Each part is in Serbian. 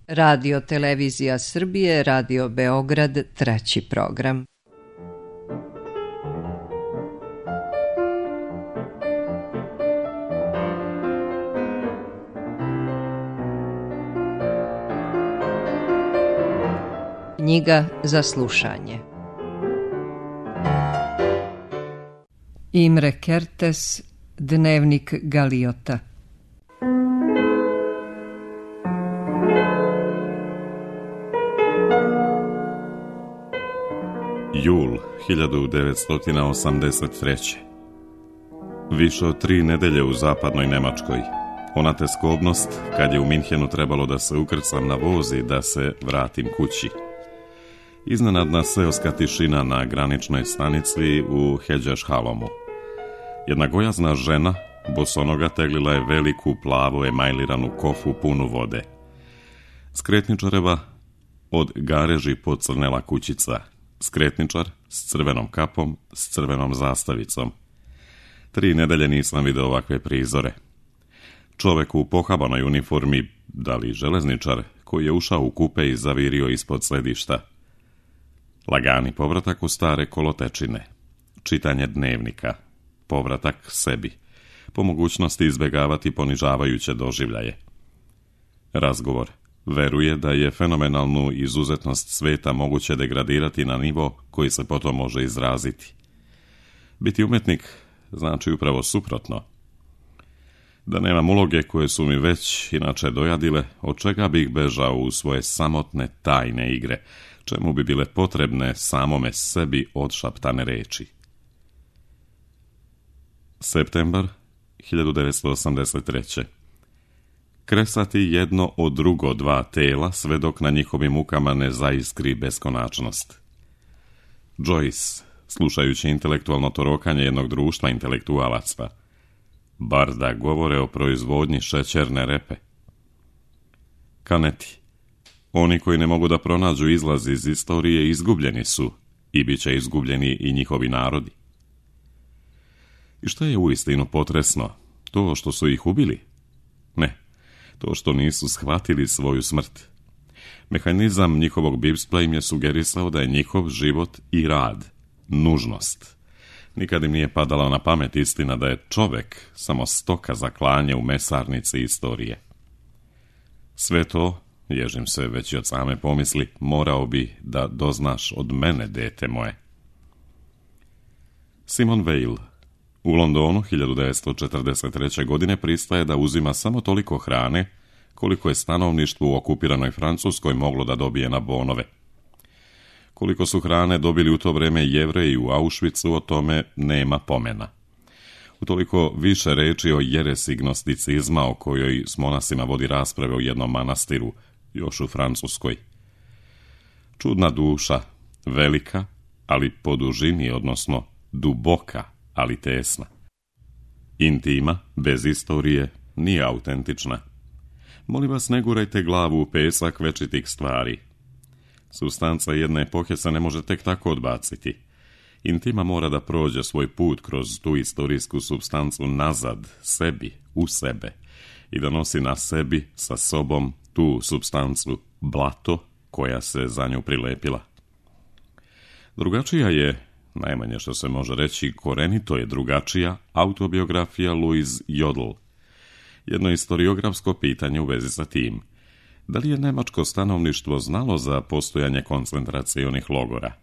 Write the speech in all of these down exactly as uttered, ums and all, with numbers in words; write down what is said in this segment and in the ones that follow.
Radio Televizija Srbije, Radio Beograd, treći program. Knjiga za slušanje. Imre Kertész, Dnevnik Galiota. Jul hiljadu devetsto osamdeset treće. Više od tri nedelje u zapadnoj Nemačkoj. Ona teskobnost kad je u Minhenu trebalo da se ukrcam na voz i da se vratim kući. Iznenadna seoska tišina na graničnoj stanici u Hedžešhalomu. Jedna gojazna žena bosonoga teglila je veliku plavu emajliranu kofu punu vode. Skretničareva od gareži pocrnela kućica. Skretničar s crvenom kapom, s crvenom zastavicom. Tri nedelje nisam vidio ovakve prizore. Čovek u pohabanoj uniformi, da li železničar, koji je ušao u kupe i zavirio ispod sedišta. Lagani povratak u stare kolotečine. Čitanje dnevnika. Povratak sebi. Po mogućnosti izbjegavati ponižavajuće doživljaje. Razgovor. Veruje da je fenomenalnu izuzetnost sveta moguće degradirati na nivo koji se potom može izraziti. Biti umetnik znači upravo suprotno. Da nemam uloge koje su mi već inače dojadile, od čega bih bežao u svoje samotne tajne igre, čemu bi bile potrebne samome sebi odšaptane reči. Septembar hiljadu devetsto osamdeset treće. Kresati jedno od drugo dva tela sve dok na njihovim mukama ne zaiskri beskonačnost. Joyce, slušajući intelektualno torokanje jednog društva intelektualaca, bar da govore o proizvodnji šećerne repe. Kaneti, oni koji ne mogu da pronađu izlaz iz istorije izgubljeni su i bit će izgubljeni i njihovi narodi. I što je uistinu potresno? To što su ih ubili? Ne. To što nisu shvatili svoju smrt. Mehanizam njihovog bipspa im je sugerisao da je njihov život i rad nužnost. Nikad im nije padala na pamet istina da je čovek samo stoka za klanje u mesarnici istorije. Sve to, ježim se već i od same pomisli, morao bi da doznaš od mene, dete moje. Simon Weil u Londonu hiljadu devetsto četrdeset treće. godine pristaje da uzima samo toliko hrane koliko je stanovništvo u okupiranoj Francuskoj moglo da dobije na bonove. Koliko su hrane dobili u to vreme Jevreji u Auschwitzu, o tome nema pomena. Utoliko više reči o jeresi gnosticizma o kojoj s monasima vodi rasprave u jednom manastiru, još u Francuskoj. Čudna duša, velika, ali po dužini, odnosno duboka, ali tesna. Intima, bez istorije, nije autentična. Molim vas, ne gurajte glavu u pesak večitih stvari. Supstanca jedne epohe se ne može tek tako odbaciti. Intima mora da prođe svoj put kroz tu istorijsku supstancu nazad, sebi, u sebe, i da nosi na sebi, sa sobom, tu supstancu, blato, koja se za nju prilepila. Drugačija je, najmanje što se može reći, korenito je drugačija, autobiografija Louise Jodl. Jedno istoriografsko pitanje u vezi sa tim. Da li je nemačko stanovništvo znalo za postojanje koncentracionih logora?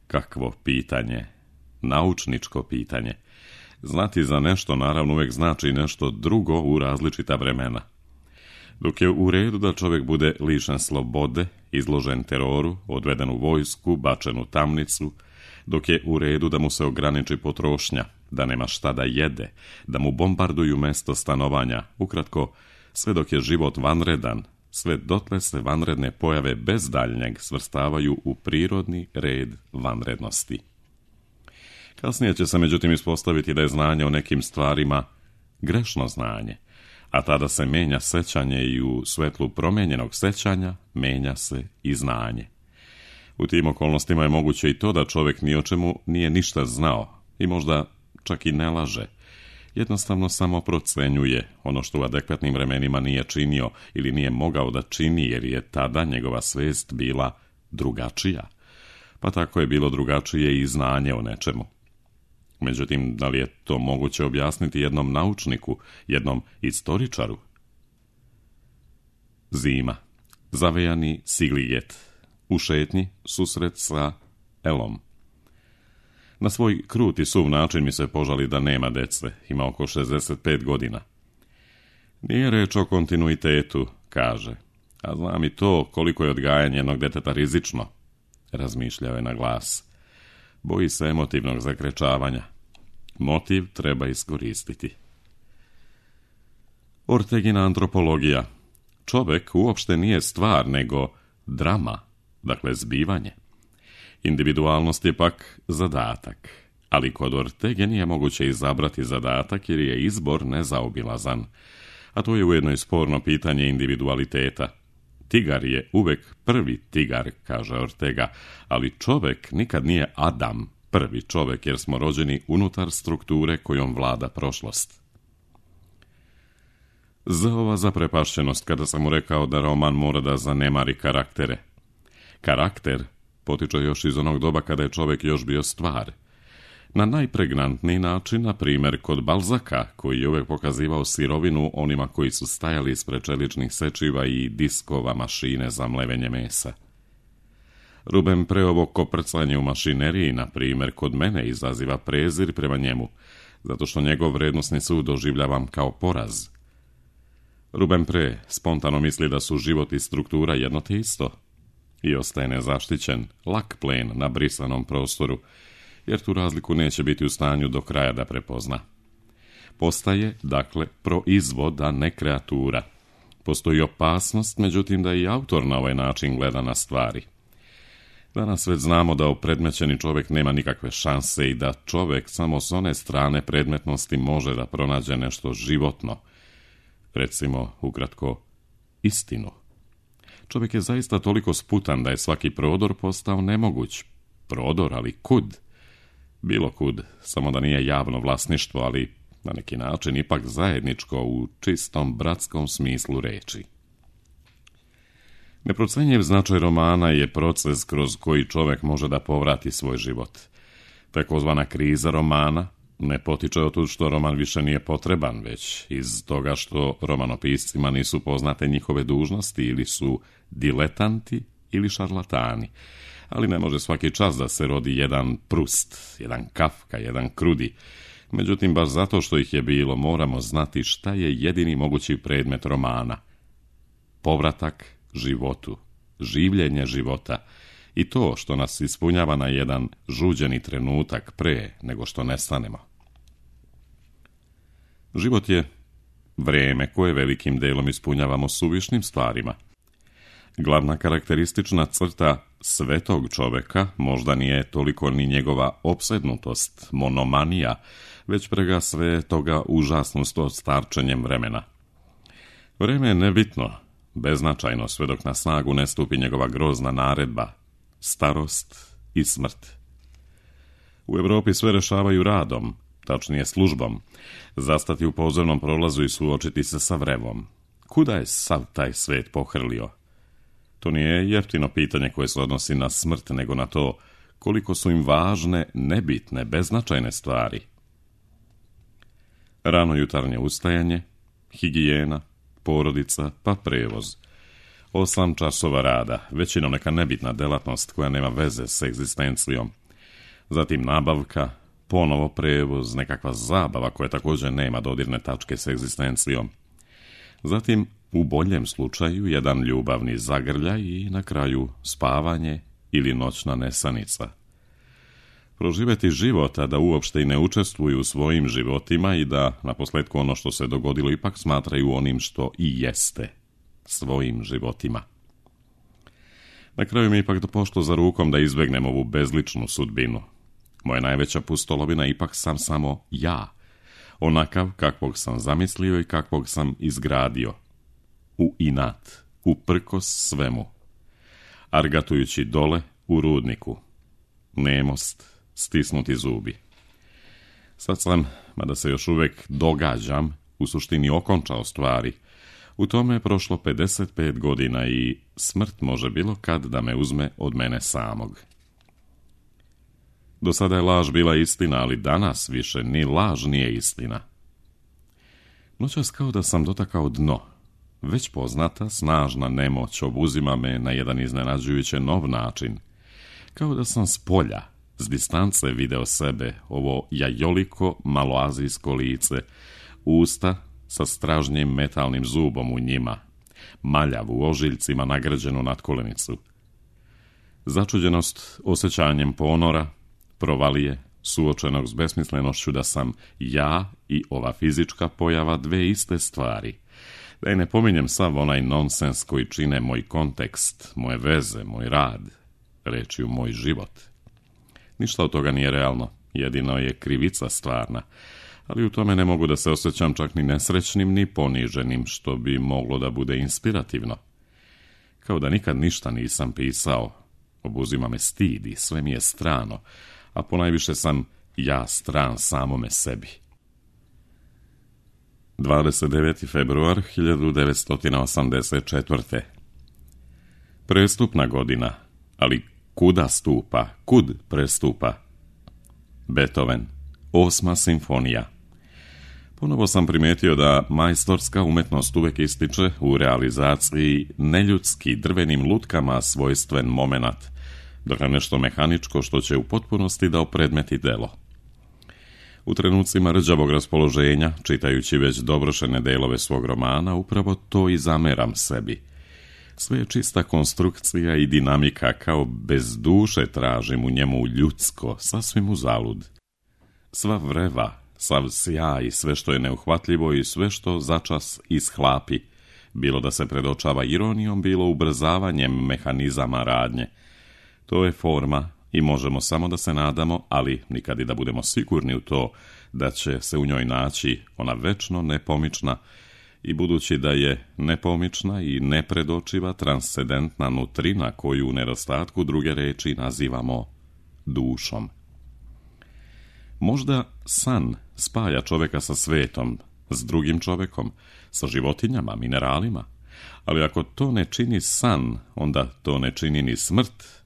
Kakvo pitanje? Naučničko pitanje. Znati za nešto naravno uvijek znači nešto drugo u različita vremena. Dok je u redu da čovjek bude lišen slobode, izložen teroru, odveden u vojsku, bačen u tamnicu, dok je u redu da mu se ograniči potrošnja, da nema šta da jede, da mu bombarduju mesto stanovanja, ukratko, sve dok je život vanredan, sve dotle se vanredne pojave bez daljnjeg svrstavaju u prirodni red vanrednosti. Kasnije će se međutim ispostaviti da je znanje o nekim stvarima grešno znanje, a tada se menja sećanje i u svetlu promenjenog sećanja menja se i znanje. U tim okolnostima je moguće i to da čovjek ni o čemu nije ništa znao i možda čak i ne laže, jednostavno samo procenjuje ono što u adekvatnim vremenima nije činio ili nije mogao da čini jer je tada njegova svest bila drugačija. Pa tako je bilo drugačije i znanje o nečemu. Međutim, da li je to moguće objasniti jednom naučniku, jednom istoričaru? Zima. Zavejani Sigliget. U šetnji susret sa Elom. Na svoj krut i suv način mi se požali da nema dece, ima oko šezdeset pet godina. Nije reč o kontinuitetu, kaže, a znam i to koliko je odgajanje jednog deteta rizično, razmišljao je na glas. Boji se emotivnog zakrečavanja. Motiv treba iskoristiti. Ortegina antropologija. Čovjek uopšte nije stvar, nego drama, dakle zbivanje. Individualnost je pak zadatak, ali kod Ortege nije moguće izabrati zadatak jer je izbor nezaobilazan, a to je ujedno i sporno pitanje individualiteta. Tigar je uvek prvi tigar, kaže Ortega, ali čovjek nikad nije Adam, prvi čovjek, jer smo rođeni unutar strukture kojom vlada prošlost. Za ova zaprepašćenost kada sam mu rekao da roman mora da zanemari karaktere. Karakter potiče još iz onog doba kada je čovjek još bio stvar. Na najpregnantniji način, na primjer kod Balzaka, koji je uvijek pokazivao sirovinu onima koji su stajali ispred čeličnih sečiva i diskova mašine za mlevenje mesa. Rubempreovo koprcanje u mašineriji, na primjer, kod mene izaziva prezir prema njemu, zato što njegov vrednosni sud doživljavam kao poraz. Rubempre spontano misli da su život i struktura jedno te isto i ostaje nezaštićen, lak plen na brisanom prostoru, jer tu razliku neće biti u stanju do kraja da prepozna. Postaje, dakle, proizvod, a ne kreatura. Postoji opasnost, međutim, da i autor na ovaj način gleda na stvari. Danas već znamo da opredmećeni čovjek nema nikakve šanse i da čovjek samo s one strane predmetnosti može da pronađe nešto životno. Recimo, ukratko, istinu. Čovjek je zaista toliko sputan da je svaki prodor postao nemoguć. Prodor, ali kud? Bilo kud, samo da nije javno vlasništvo, ali na neki način ipak zajedničko u čistom bratskom smislu reči. Neprocenjiv značaj romana je proces kroz koji čovjek može da povrati svoj život. Takozvana kriza romana ne potiče od tu što roman više nije potreban, već iz toga što romanopiscima nisu poznate njihove dužnosti ili su diletanti ili šarlatani. Ali ne može svaki čas da se rodi jedan Prust, jedan Kafka, jedan Krudi. Međutim, baš zato što ih je bilo, moramo znati šta je jedini mogući predmet romana. Povratak životu, življenje života i to što nas ispunjava na jedan žuđeni trenutak pre nego što nestanemo. Život je vrijeme koje velikim delom ispunjavamo suvišnim stvarima. Glavna karakteristična crta svetog čoveka možda nije toliko ni njegova opsednutost, monomanija, već prega sve toga užasnost od starčenjem vremena. Vreme je nebitno, beznačajno sve dok na snagu ne stupi njegova grozna naredba, starost i smrt. U Evropi sve rešavaju radom, tačnije službom, zastati u pozornom prolazu i suočiti se sa vrevom. Kuda je sav taj svet pohrlio? To nije jeftino pitanje koje se odnosi na smrt, nego na to koliko su im važne, nebitne, beznačajne stvari. Rano jutarnje ustajanje, higijena, porodica, pa prevoz. Osam časova rada, većinom neka nebitna delatnost koja nema veze s egzistencijom. Zatim nabavka, ponovo prevoz, nekakva zabava koja također nema dodirne tačke s egzistencijom. Zatim, u boljem slučaju, jedan ljubavni zagrljaj i na kraju spavanje ili noćna nesanica. Proživjeti život, a da uopšte i ne učestvuju u svojim životima i da, naposljetku, ono što se dogodilo ipak smatraju onim što i jeste, svojim životima. Na kraju mi ipak dopošlo za rukom da izbegnem ovu bezličnu sudbinu. Moja najveća pustolovina ipak sam samo ja, onakav kakvog sam zamislio i kakvog sam izgradio. U inat, uprkos svemu. Argatujući dole u rudniku. Nemost, stisnuti zubi. Sad sam, mada se još uvijek događam, u suštini okončao stvari. U tome je prošlo pedeset pet godina i smrt može bilo kad da me uzme od mene samog. Do sada je laž bila istina, ali danas više ni laž nije istina. Noćas kao da sam dotakao dno. Već poznata, snažna nemoć obuzima me na jedan iznenađujuće nov način. Kao da sam s polja, s distance video sebe, ovo jajoliko maloazijsko lice, usta sa stražnjim metalnim zubom u njima, maljavu ožiljcima nagrađenu natkolenicu. Začuđenost osjećanjem ponora, provalije, suočenog s besmislenošću da sam ja i ova fizička pojava dve iste stvari. Da i ne pominjem sav onaj nonsens koji čine moj kontekst, moje veze, moj rad, rečju moj život. Ništa od toga nije realno, jedino je krivica stvarna, ali u tome ne mogu da se osjećam čak ni nesrećnim ni poniženim, što bi moglo da bude inspirativno. Kao da nikad ništa nisam pisao, obuzima me stid i sve mi je strano, a ponajviše sam ja stran samome sebi. dvadeset deveti februar hiljadu devetsto osamdeset četvrte. Prestupna godina, ali kuda stupa, kud prestupa? Beethoven, osma simfonija. Ponovo sam primijetio da majstorska umetnost uvijek ističe u realizaciji neljudski drvenim lutkama svojstven momenat, dakle nešto mehaničko što će u potpunosti da opredmeti delo. U trenucima rđavog raspoloženja, čitajući već dovršene delove svog romana, upravo to i zameram sebi. Sve je čista konstrukcija i dinamika, kao bez duše tražim u njemu ljudsko, sasvim uzalud. Sva vreva, sav sjaj i sve što je neuhvatljivo i sve što začas ishlapi, bilo da se predočava ironijom, bilo ubrzavanjem mehanizama radnje. To je forma i možemo samo da se nadamo, ali nikad i da budemo sigurni u to da će se u njoj naći ona večno nepomična i budući da je nepomična i nepredočiva transcendentna nutrina koju u nedostatku druge reči nazivamo dušom. Možda san spaja čoveka sa svetom, s drugim čovekom, sa životinjama, mineralima, ali ako to ne čini san, onda to ne čini ni smrt.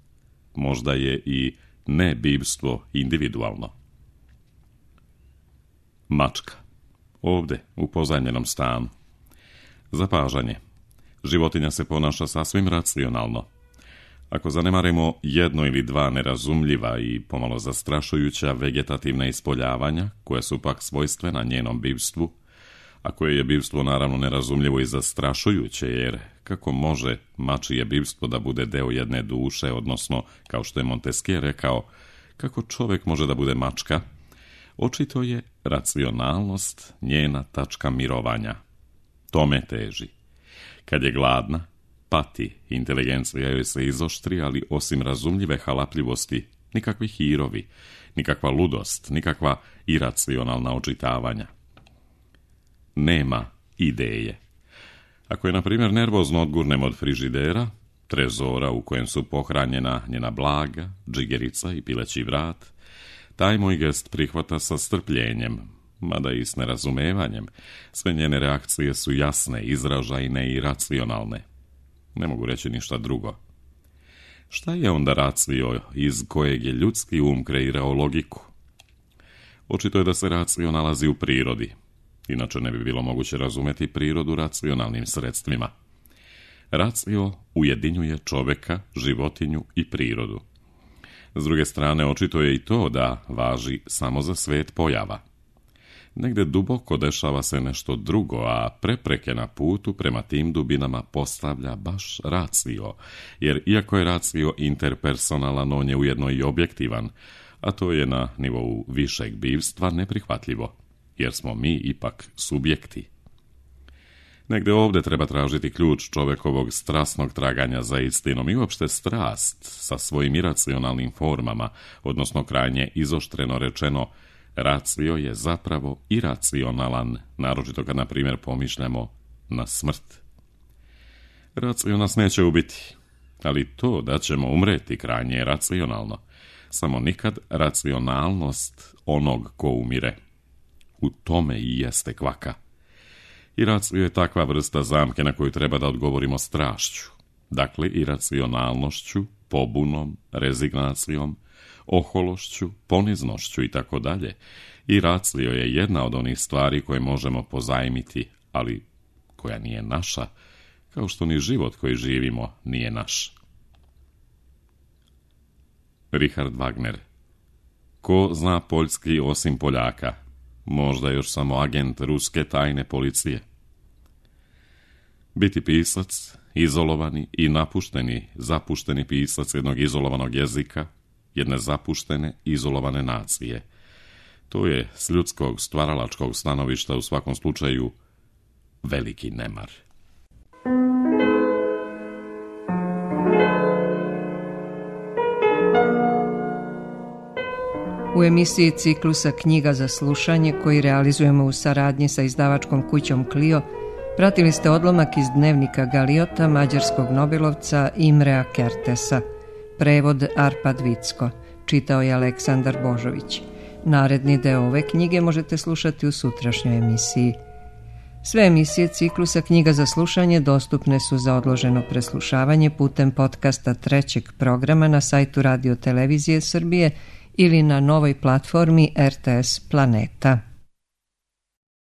Možda je i nebivstvo individualno. Mačka. Ovde, u pozajmljenom stanu. Zapažanje. Životinja se ponaša sasvim racionalno. Ako zanemarimo jedno ili dva nerazumljiva i pomalo zastrašujuća vegetativna ispoljavanja, koja su pak svojstvena njenom bivstvu, a koje je bivstvo naravno nerazumljivo i zastrašujuće, jer kako može mačije bivstvo da bude deo jedne duše, odnosno, kao što je Montesquieu rekao, kako čovjek može da bude mačka, očito je racionalnost njena tačka mirovanja. Tome teži. Kad je gladna, pati, inteligencija joj se izoštri, ali osim razumljive halapljivosti, nikakvi hirovi, nikakva ludost, nikakva iracionalna očitavanja. Nema ideje. Ako je, na primjer, nervozno odgurnem od frižidera, trezora u kojem su pohranjena njena blaga, džigerica i pileći vrat, taj moj gest prihvata sa strpljenjem, mada i s nerazumevanjem. Sve njene reakcije su jasne, izražajne i racionalne. Ne mogu reći ništa drugo. Šta je onda racio iz kojeg je ljudski um kreirao logiku? Očito je da se racio nalazi u prirodi. Inače ne bi bilo moguće razumjeti prirodu racionalnim sredstvima. Racio ujedinjuje čoveka, životinju i prirodu. S druge strane, očito je i to da važi samo za svet pojava. Negde duboko dešava se nešto drugo, a prepreke na putu prema tim dubinama postavlja baš racio, jer iako je racio interpersonalan, on je ujedno i objektivan, a to je na nivou višeg bivstva neprihvatljivo, jer smo mi ipak subjekti. Negde ovdje treba tražiti ključ čovekovog strasnog traganja za istinom i uopšte strast sa svojim iracionalnim formama, odnosno krajnje izoštreno rečeno, racio je zapravo iracionalan, naročito kad, na primjer, pomišljamo na smrt. Racio nas neće ubiti, ali to da ćemo umreti krajnje je racionalno. samo nikad racionalnost onog ko umire. U tome i jeste kvaka. I racio je takva vrsta zamke na koju treba da odgovorimo strašću, dakle iracionalnošću, pobunom, rezignacijom, ohološću, poniznošću i tako dalje. I racio je jedna od onih stvari koje možemo pozajmiti, ali koja nije naša, kao što ni život koji živimo nije naš. Richard Wagner. Ko zna poljski osim Poljaka? Možda još samo agent ruske tajne policije. Biti pisac, izolovani i napušteni, zapušteni pisac jednog izolovanog jezika, jedne zapuštene, izolovane nacije. To je s ljudskog stvaralačkog stanovišta u svakom slučaju veliki nemar. U emisiji ciklusa Knjiga za slušanje, koji realizujemo u saradnji sa izdavačkom kućom Clio, pratili ste odlomak iz dnevnika Galiota mađarskog nobelovca Imrea Kertesa. Prevod Arpad Vicko. Čitao je Aleksandar Božović. Naredni deo ove knjige možete slušati u sutrašnjoj emisiji. Sve emisije ciklusa Knjiga za slušanje dostupne su za odloženo preslušavanje putem podcasta trećeg programa na sajtu Radio Televizije Srbije ili na novoj platformi R T S Planeta.